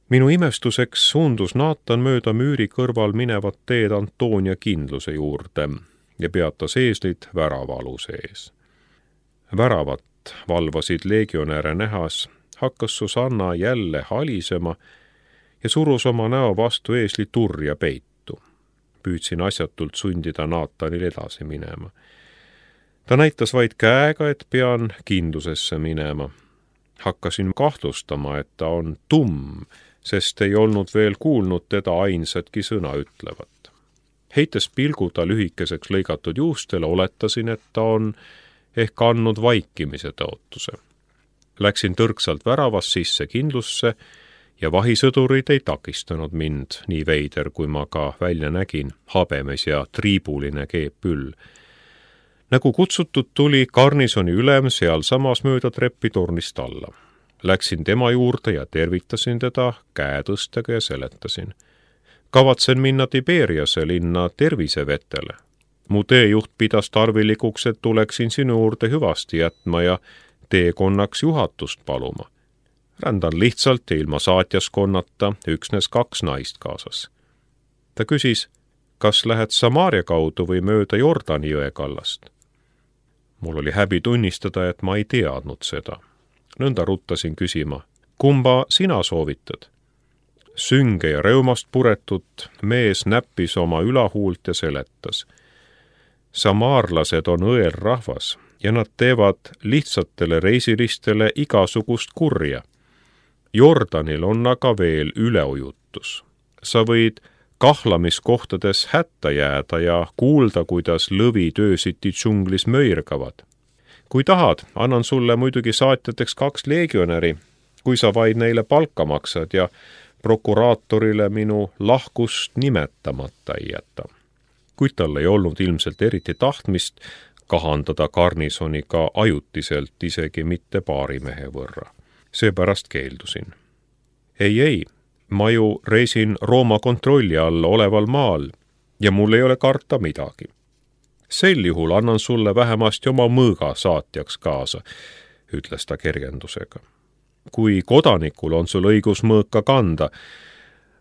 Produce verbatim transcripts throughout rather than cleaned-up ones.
Minu imestuseks suundus Naatan mööda müüri kõrval minevat teed Antonia kindluse juurde ja peatas eeslit väravaaluse ees. Väravat valvasid legionäre nähas, hakkas Susanna jälle halisema ja surus oma näo vastu eesli turja peitu. Püüdsin asjatult sundida Naatanil edasi minema. Ta näitas vaid käega, et pean kindlusesse minema. Hakkasin kahtlustama, et ta on tumm, sest ei olnud veel kuulnud teda ainsatki sõna ütlevat. Heites pilgu ta lühikeseks lõigatud juustele, oletasin, et ta on ehk andnud vaikimise tõotuse. Läksin tõrksalt väravast sisse kindlusse ja vahisõdurid ei takistanud mind, nii veider, kui ma ka välja nägin, habemes ja triibuline keepüll. Nagu kutsutud tuli garnisoni ülem seal samas mööda treppi tornist alla. Läksin tema juurde ja tervitasin teda käetõstega ja seletasin. Kavatsen minna Tiberiase linna tervisevetele. Mu teejuht pidas tarvilikuks, et tuleksin sinu juurde hüvasti jätma ja teekonnaks juhatust paluma. Rändan lihtsalt ilma saatjaskonnata, üksnes kaks naist kaasas. Ta küsis, kas lähed Samaaria kaudu või mööda Jordani jõe kallast. Mul oli häbi tunnistada, et ma ei teadnud seda. Nõnda ruttasin küsima, kumba sina soovitad? Sünge ja reumast puretut mees näppis oma ülahuult ja seletas. Samaarlased on õel rahvas ja nad teevad lihtsatele reisilistele igasugust kurja. Jordanil on aga veel üleujutus. Sa võid kahlamiskohtades hätta jääda ja kuulda, kuidas lõvid öösiti džunglis möirgavad. Kui tahad, annan sulle muidugi saatjateks kaks legionäri, kui sa vaid neile palka maksad ja prokuraatorile minu lahkust nimetamata ei jäta. Kuid tal ei olnud ilmselt eriti tahtmist kahandada garnisoniga ajutiselt isegi mitte paari mehe võrra. Seepärast keeldusin. Ei, ei, ma ju reisin Rooma kontrolli all oleval maal ja mul ei ole karta midagi. Sel juhul annan sulle vähemasti oma mõõga saatjaks kaasa, ütles ta kergendusega. Kui kodanikul on sul õigus mõõka kanda,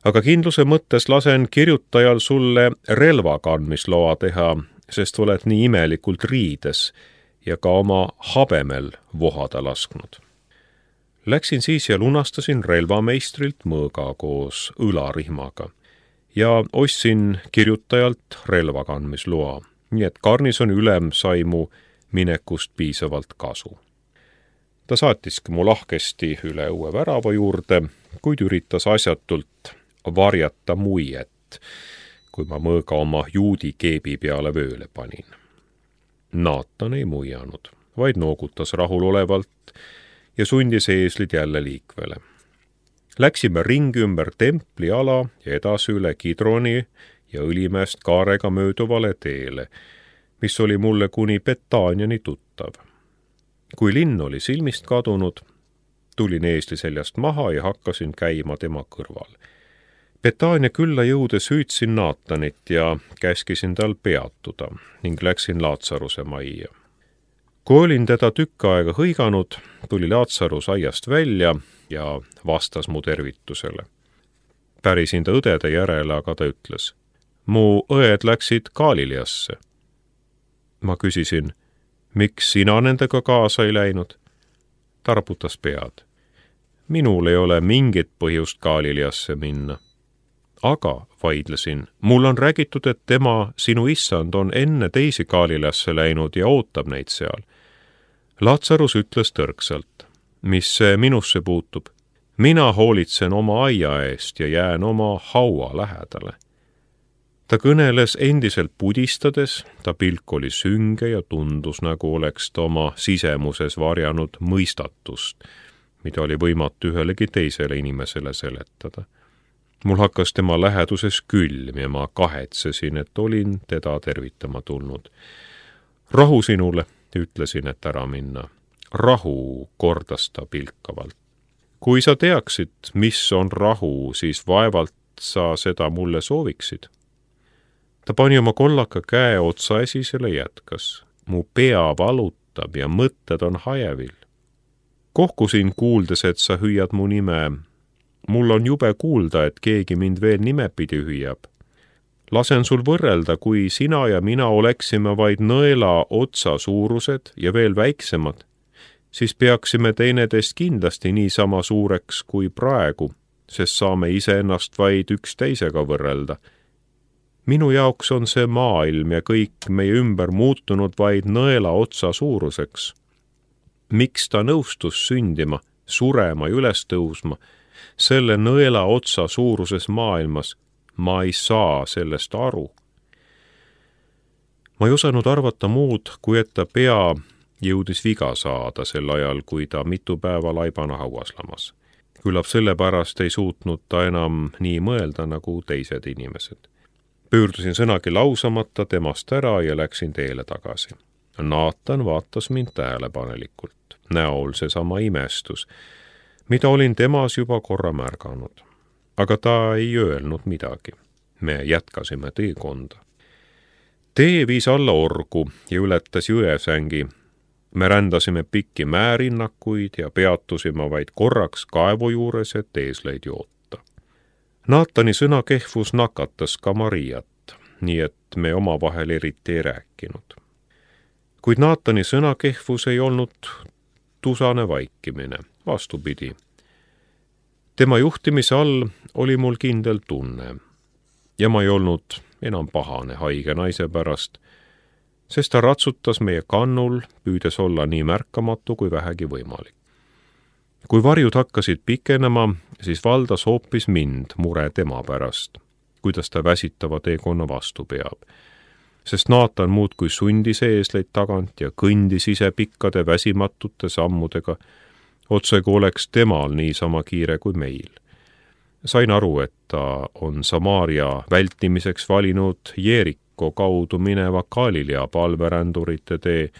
aga kindluse mõttes lasen kirjutajal sulle relva kandmisloa teha, sest oled nii imelikult riides ja ka oma habemel vohada lasknud. Läksin siis ja lunastasin relvameistrilt mõõga koos õlarihmaga ja ostsin kirjutajalt relva kandmisloa, nii et garnisoni ülem sai mu minekust piisavalt kasu. Ta saatiski mu lahkesti üle õue värava juurde, kuid üritas asjatult varjata muiet, kui ma mõõga oma juudi keebi peale vööle panin. Naatan ei muianud, vaid noogutas rahulolevalt ja sundis eeslid jälle liikvele. Läksime ringi ümber templi ala ja edasi üle Kidroni ja Õlimäest kaarega mööduvale teele, mis oli mulle kuni Betaaniani tuttav. Kui linn oli silmist kadunud, tulin eesli seljast maha ja hakkasin käima tema kõrval. Betaania külla jõudes hüüdsin Naatanit ja käskisin tal peatuda ning läksin Laatsaruse majja. Kui olin teda tükk aega hõiganud, tuli Laatsarus aiast välja ja vastas mu tervitusele. Pärisin ta õdede järele, aga ta ütles, mu õed läksid Galileasse. Ma küsisin, miks sina nendega kaasa ei läinud? Ta raputas pead. Minul ei ole mingit põhjust Galileasse minna. Aga, vaidlesin, mul on räägitud, et tema, sinu issand, on enne teisi Galileasse läinud ja ootab neid seal. Laatsarus ütles tõrksalt, mis see minusse puutub. Mina hoolitsen oma aia eest ja jään oma haua lähedale. Ta kõneles endiselt pudistades, ta pilk oli sünge ja tundus, nagu oleks ta oma sisemuses varjanud mõistatust, mida oli võimatu ühelegi teisele inimesele seletada. Mul hakkas tema läheduses külm ja ma kahetsesin, et olin teda tervitama tulnud. Rahu sinule, ütlesin, et ära minna. Rahu, kordas ta pilkavalt. Kui sa teaksid, mis on rahu, siis vaevalt sa seda mulle sooviksid. Ta pani oma kollaka käe otsa esisele jätkas. Mu pea valutab ja mõtted on hajevil. Kohkusin kuuldes, et sa hüüad mu nime. mul on jube kuulda, et keegi mind veel nimepidi hüüab. Lasen sul võrrelda, kui sina ja mina oleksime vaid nõela otsa suurused ja veel väiksemad, siis peaksime teineteist kindlasti niisama suureks kui praegu, sest saame iseennast vaid üksteisega võrrelda. Minu jaoks on see maailm ja kõik meie ümber muutunud vaid nõela otsa suuruseks. Miks ta nõustus sündima, surema ja üles tõusma, selle nõela otsa suuruses maailmas, ma ei saa sellest aru. Ma ei osanud arvata muud, kui et ta pea jõudis viga saada sel ajal, kui ta mitu päeva laibana hauas lamas. Küllap sellepärast ei suutnud ta enam nii mõelda nagu teised inimesed. Pöördusin sõnagi lausamata temast ära ja läksin teele tagasi. Naatan vaatas mind tähelepanelikult. Näol seesama imestus, mida olin temas juba korra märganud. Aga ta ei öelnud midagi. Me jätkasime teekonda. Tee viis alla orgu ja ületas jõesängi. Me rändasime pikki määrinnakuid ja peatusime vaid korraks kaevu juures, et eesleid joota. Naatani sõnakehvus nakatas ka Mariat, nii et me omavahel eriti ei rääkinud. Kuid Naatani sõnakehvus ei olnud tusane vaikimine, vastupidi. Tema juhtimise all oli mul kindel tunne ja ma ei olnud enam pahane haige naise pärast, sest ta ratsutas meie kannul, püüdes olla nii märkamatu kui vähegi võimalik. Kui varjud hakkasid pikenema, siis valdas hoopis mind mure tema pärast, kuidas ta väsitava teekonna vastu peab. Sest Naatan muudkui sundis eesleid tagant ja kõndis ise pikkade väsimatute sammudega, otse kui oleks temal niisama kiire kui meil. Sain aru, et ta on Samaaria vältimiseks valinud Jeeriko kaudu mineva Galilea palverändurite tee,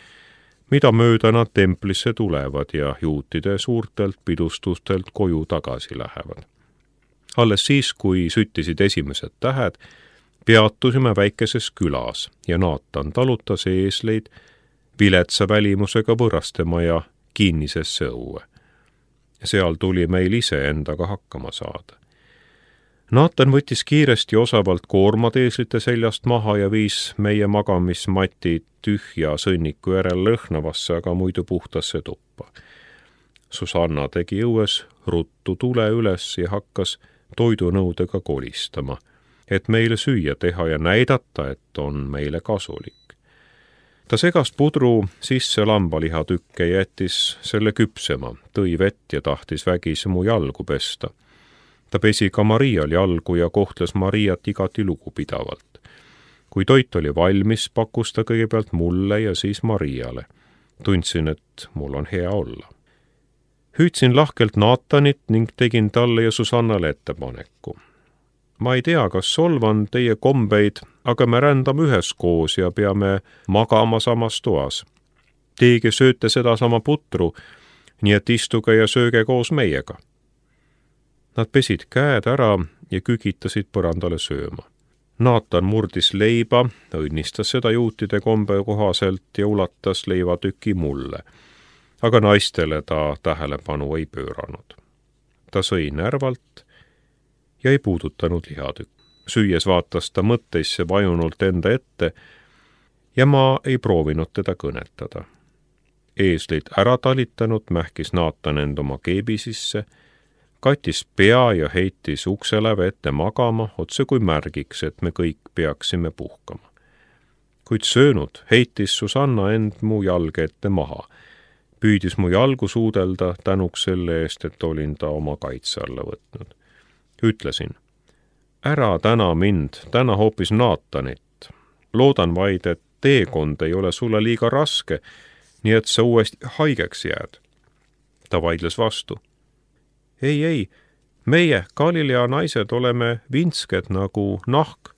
mida mööda nad templisse tulevad ja juutide suurtelt pidustustelt koju tagasi lähevad. Alles siis, kui süttisid esimesed tähed, peatusime väikeses külas ja Naatan talutas eesleid viletsa välimusega võrrastemaja kinnisesse õue. Seal tuli meil ise endaga hakkama saada. Naatan võttis kiiresti osavalt koormad eeslite seljast maha ja viis meie magamismatid tühja sõnniku järel lõhnavasse, aga muidu puhtasse tuppa. Susanna tegi õues ruttu tule üles ja hakkas toidunõudega kolistama, et meile süüa teha ja näidata, et on meile kasulik. Ta segas pudru sisse lambalihatükke ja jättis selle küpsema, tõi vett ja tahtis vägisi mu jalgu pesta. Ta pesi ka Marial jalgu ja kohtles Mariat igati lugupidavalt. Kui toit oli valmis, pakkus ta kõigepealt mulle ja siis Mariale. Tundsin, et mul on hea olla. Hüüdsin lahkelt Naatanit ning tegin talle ja Susannale ettepaneku. Ma ei tea, kas solvan teie kombeid, aga me rändame üheskoos ja peame magama samas toas. Teige sööte sedasama putru, nii et istuge ja sööge koos meiega. Nad pesid käed ära ja kükitasid põrandale sööma. Naatan murdis leiba, õnnistas seda juutide kombe kohaselt ja ulatas leivatüki mulle, aga naistele ta tähelepanu ei pööranud. Ta sõi närvalt ja ei puudutanud lihatükk. Süües vaatas ta mõtteisse vajunult enda ette ja ma ei proovinud teda kõnetada. Eeslid ära talitanud mähkis Naatan end oma keebi sisse, kattis pea ja heitis ukseläve ette magama, otse kui märgiks, et me kõik peaksime puhkama. Kuid söönud heitis Susanna end mu jalge ette maha, püüdis mu jalgu suudelda tänuks selle eest, et olin ta oma kaitse alla võtnud. Ütlesin, ära täna mind, täna hoopis Naatanit. Loodan vaid, et teekond ei ole sulle liiga raske, nii et sa uuesti haigeks jääd. Ta vaidles vastu. Ei, ei, meie, Galilea naised, oleme vinsked nagu nahk.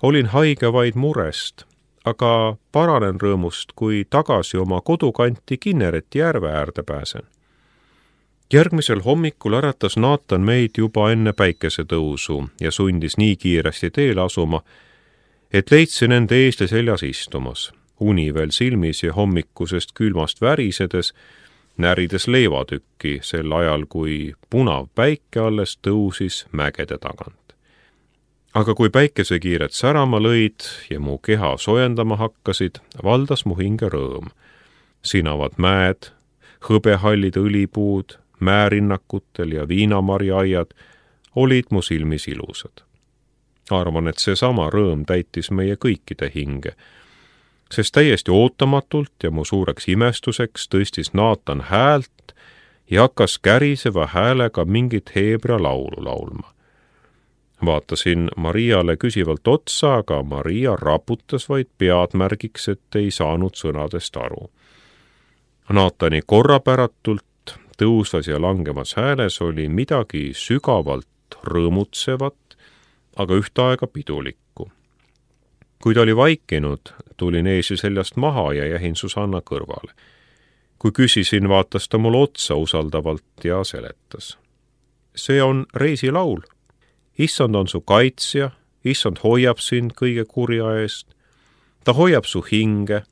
Olin haige vaid murest, aga paranen rõõmust, kui tagasi oma kodukanti Kinnereti järve äärde pääsen. Järgmisel hommikul äratas Naatan meid juba enne päikesetõusu ja sundis nii kiiresti teele asuma, et leidsin enda eesli seljas istumas, uni veel silmis ja hommikusest külmast värisedes närides leivatükki sel ajal, kui punav päike alles tõusis mägede tagant. Aga kui päikesekiired särama lõid ja mu keha soojendama hakkasid, valdas mu hinge rõõm. Sinavad mäed, hõbehallid õlipuud, määrinnakutel ja viinamarjaaiad olid mu silmis ilusad. Arvan, et seesama rõõm täitis meie kõikide hinge, sest täiesti ootamatult ja mu suureks imestuseks tõstis Naatan häält ja hakkas käriseva häälega mingit heebrea laulu laulma. Vaatasin Mariale küsivalt otsa, aga Maria raputas vaid pead märgiks, et ei saanud sõnadest aru. Naatani korrapäratult tõusvas ja langemas hääles oli midagi sügavalt rõõmutsevat, aga ühtaega pidulikku. Kui ta oli vaikinud, tulin eesi seljast maha ja jähin Susanna kõrvale. Kui küsisin, vaatas ta mul otsa usaldavalt ja seletas. See on reisilaul. Issand on su kaitsja, issand hoiab sind kõige kurja eest. Ta hoiab su hinge,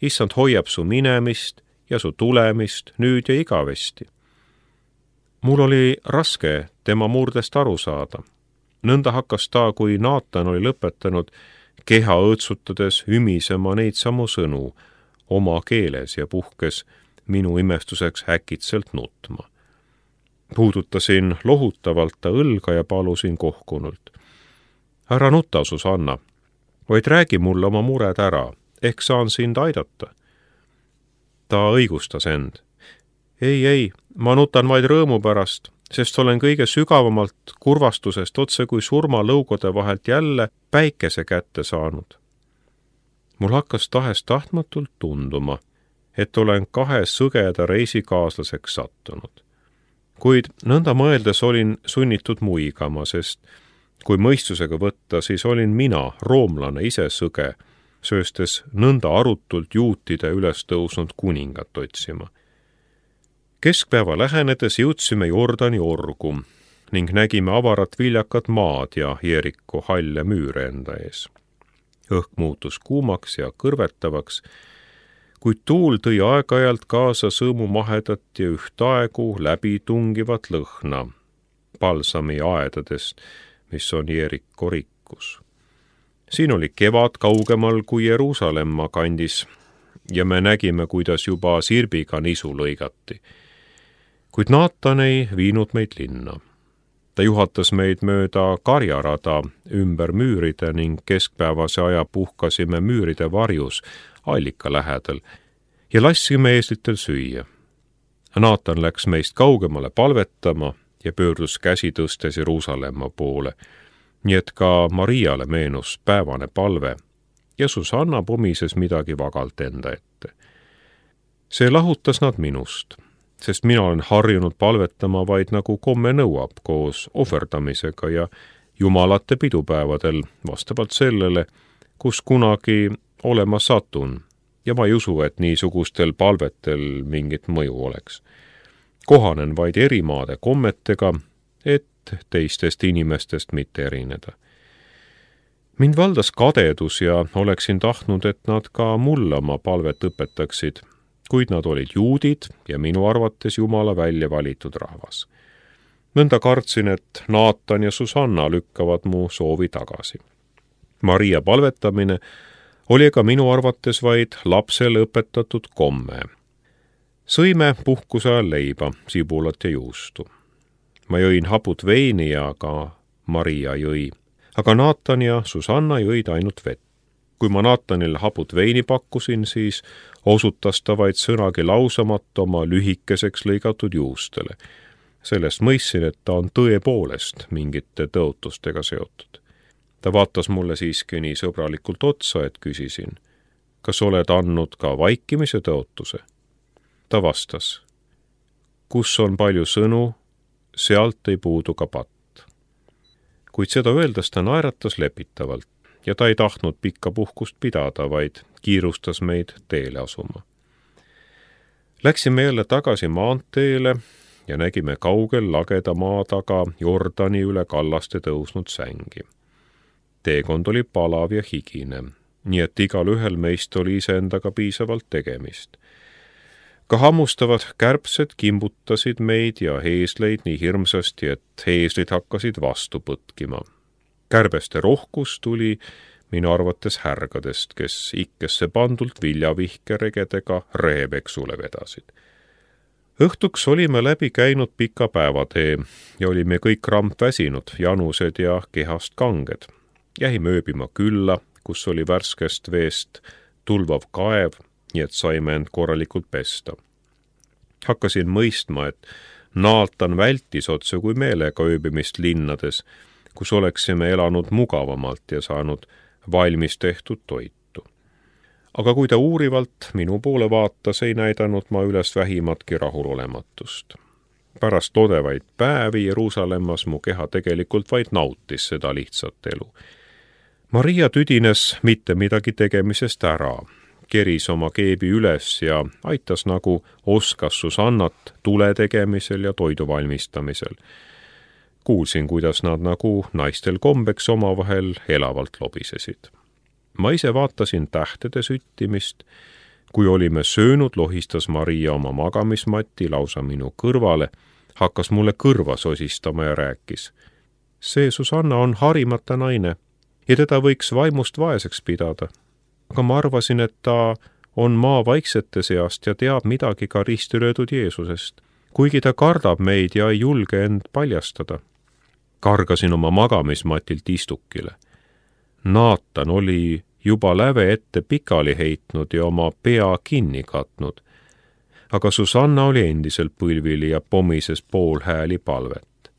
issand hoiab su minemist ja su tulemist nüüd ja igavesti. Mul oli raske tema murdest aru saada. Nõnda hakkas ta, kui Naatan oli lõpetanud, keha õõtsutades ümisema neid samu sõnu oma keeles ja puhkes minu imestuseks äkitselt nutma. Puudutasin lohutavalt ta õlga ja palusin kohkunult. Ära nuta, Susanna, vaid räägi mulle oma mured ära, ehk saan sind aidata. Ta õigustas end. Ei, ei, ma nutan vaid rõõmu pärast, sest olen kõige sügavamalt kurvastusest otse kui surmalõugode vahelt jälle päikese kätte saanud. Mul hakkas tahes tahtmatult tunduma, et olen kahe sõgeda reisikaaslaseks sattunud. Kuid nõnda mõeldes olin sunnitud muigama, sest kui mõistusega võtta, siis olin mina, roomlane ise sõge, sööstes nõnda arutult juutide üles tõusnud kuningat otsima. Keskpäeva lähenedes jõudsime Jordani orgu ning nägime avarat viljakat maad ja Jeeriku halle müüre enda ees. Õhk muutus kuumaks ja kõrvetavaks, kuid tuul tõi aeg-ajalt kaasa sõõmumahedat ja ühtaegu läbitungivat lõhna palsami aedadest, mis on Jeeriku rikkus. Siin oli kevad kaugemal kui Jeruusalemma kandis ja me nägime, kuidas juba sirbiga nisu lõigati. Kuid Naatan ei viinud meid linna. Ta juhatas meid mööda karjarada ümber müüride ning keskpäevase aja puhkasime müüride varjus allika lähedal ja lassime eeslitel süüa. Naatan läks meist kaugemale palvetama ja pöördus käsi tõstes Jeruusalemma poole, nii et ka Mariale meenus päevane palve ja Susanna pomises midagi vagalt enda ette. See lahutas nad minust, sest mina olen harjunud palvetama vaid nagu komme nõuab koos ohverdamisega ja jumalate pidupäevadel vastavalt sellele, kus kunagi olema satun, ja ma ei usu, et niisugustel palvetel mingit mõju oleks. Kohanen vaid erimaade kommetega, et teistest inimestest mitte erineda. Mind valdas kadedus ja oleksin tahtnud, et nad ka mulle oma palvet õpetaksid, kuid nad olid juudid ja minu arvates Jumala välja valitud rahvas. Nõnda kartsin, et Naatan ja Susanna lükkavad mu soovi tagasi. Maria palvetamine oli ka minu arvates vaid lapsele õpetatud komme. Sõime puhkuse ajal leiba, sibulat ja juustu. Ma jõin haput veini ja ka Maria jõi, aga Naatan ja Susanna jõid ainult vett. Kui ma Naatanile haput veini pakkusin, siis osutas ta vaid sõnagi lausamat oma lühikeseks lõigatud juustele. Sellest mõistsin, et ta on tõepoolest mingite tõotustega seotud. Ta vaatas mulle siiski nii sõbralikult otsa, et küsisin, kas oled andnud ka vaikimise tõotuse? Ta vastas, kus on palju sõnu, sealt ei puudu ka patt. Kuid seda öeldes ta naeratas lepitavalt ja ta ei tahtnud pikka puhkust pidada, vaid kiirustas meid teele asuma. Läksime jälle tagasi maanteele ja nägime kaugel lageda maa taga Jordani üle kallaste tõusnud sängi. Teekond oli palav ja higine, nii et igal ühel meist oli iseendaga piisavalt tegemist. ka hammustavad kärbsed kimbutasid meid ja heesleid nii hirmsasti, et heeslid hakkasid vastu põtkima. Kärbeste rohkus tuli minu arvates härgadest, kes ikkesse pandult viljavihkeregedega rehepeksule vedasid. Õhtuks olime läbi käinud pika päevatee ja olime kõik rampväsinud, janused ja kehast kanged. Jäime ööbima külla, kus oli värskest veest tulvav kaev, nii et saime end korralikult pesta. Hakkasin mõistma, et Naatan vältis otse kui meelega ööbimist linnades, kus oleksime elanud mugavamalt ja saanud valmis tehtud toitu. Aga kui ta uurivalt minu poole vaatas, ei näidanud ma üles vähimatki rahulolematust. Pärast lodevaid päevi Jeruusalemmas mu keha tegelikult vaid nautis seda lihtsat elu. Maria tüdines mitte midagi tegemisest ära, keris oma keebi üles ja aitas nagu oskas Susannat tule tegemisel ja toidu valmistamisel. Kuulsin, kuidas nad nagu naistel kombeks omavahel elavalt lobisesid. Ma ise vaatasin tähtede süttimist. Kui olime söönud, lohistas Maria oma magamismatti lausa minu kõrvale, hakkas mulle kõrva sosistama ja rääkis. See Susanna on harimata naine ja teda võiks vaimust vaeseks pidada. Aga ma arvasin, et ta on maa vaiksete seast ja teab midagi ka risti löödud Jeesusest, kuigi ta kardab meid ja ei julge end paljastada. Kargasin oma magamismatilt istukile. Naatan oli juba läve ette pikali heitnud ja oma pea kinni katnud, aga Susanna oli endiselt põlvili ja pomises poolhääli palvet.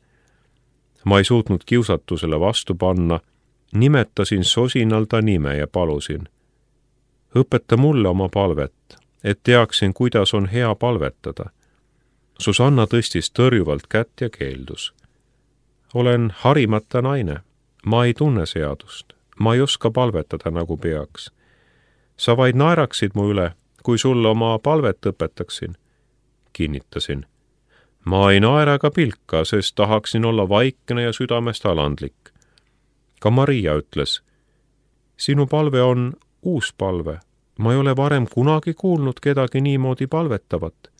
Ma ei suutnud kiusatusele vastu panna, nimetasin sosinal ta nime ja palusin. Õpeta mulle oma palvet, et teaksin, kuidas on hea palvetada. Susanna tõstis tõrjuvalt kätt ja keeldus. Olen harimata naine, ma ei tunne seadust, ma ei oska palvetada nagu peaks. Sa vaid naeraksid mu üle, kui sulle oma palvet õpetaksin. Kinnitasin. Ma ei naera ka pilka, sest tahaksin olla vaikne ja südamest alandlik. Ka Maria ütles, sinu palve on uus palve, ma ei ole varem kunagi kuulnud kedagi niimoodi palvetavat.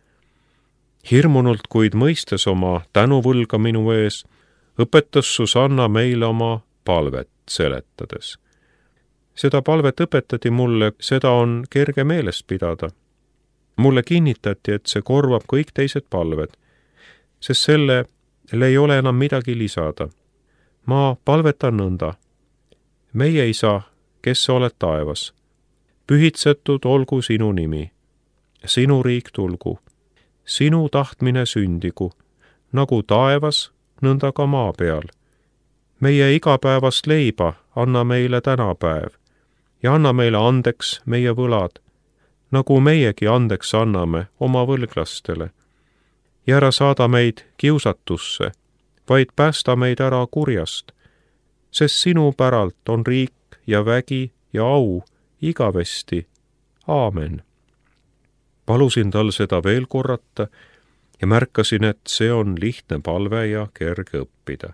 Hirmunult, kuid mõistes oma tänuvõlga minu ees, õpetas Susanna meile oma palvet seletades. Seda palvet õpetati mulle, seda on kerge meeles pidada. Mulle kinnitati, et see korvab kõik teised palved, sest sellele ei ole enam midagi lisada. Ma palvetan nõnda. Meie isa, kes sa oled taevas, pühitsetud olgu sinu nimi, sinu riik tulgu, sinu tahtmine sündigu, nagu taevas, nõnda ka maa peal. Meie igapäevast leiba anna meile tänapäev ja anna meile andeks meie võlad, nagu meiegi andeks anname oma võlglastele. Ja ära saada meid kiusatusse, vaid päästa meid ära kurjast, sest sinu päralt on riik ja vägi ja au igavesti. Aamen. Palusin tal seda veel korrata ja märkasin, et see on lihtne palve ja kerge õppida.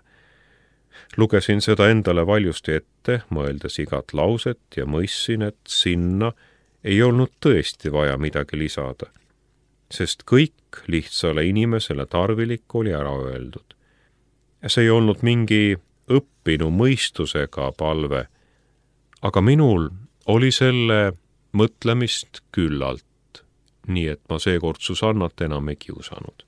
Lugesin seda endale valjusti ette, mõeldes igat lauset ja mõistsin, et sinna ei olnud tõesti vaja midagi lisada, sest kõik lihtsale inimesele tarvilik oli ära öeldud. See ei olnud mingi õppinu mõistusega palve, aga minul oli selle mõtlemist küllalt, nii et ma seekord Susannat enam ei kiusanud.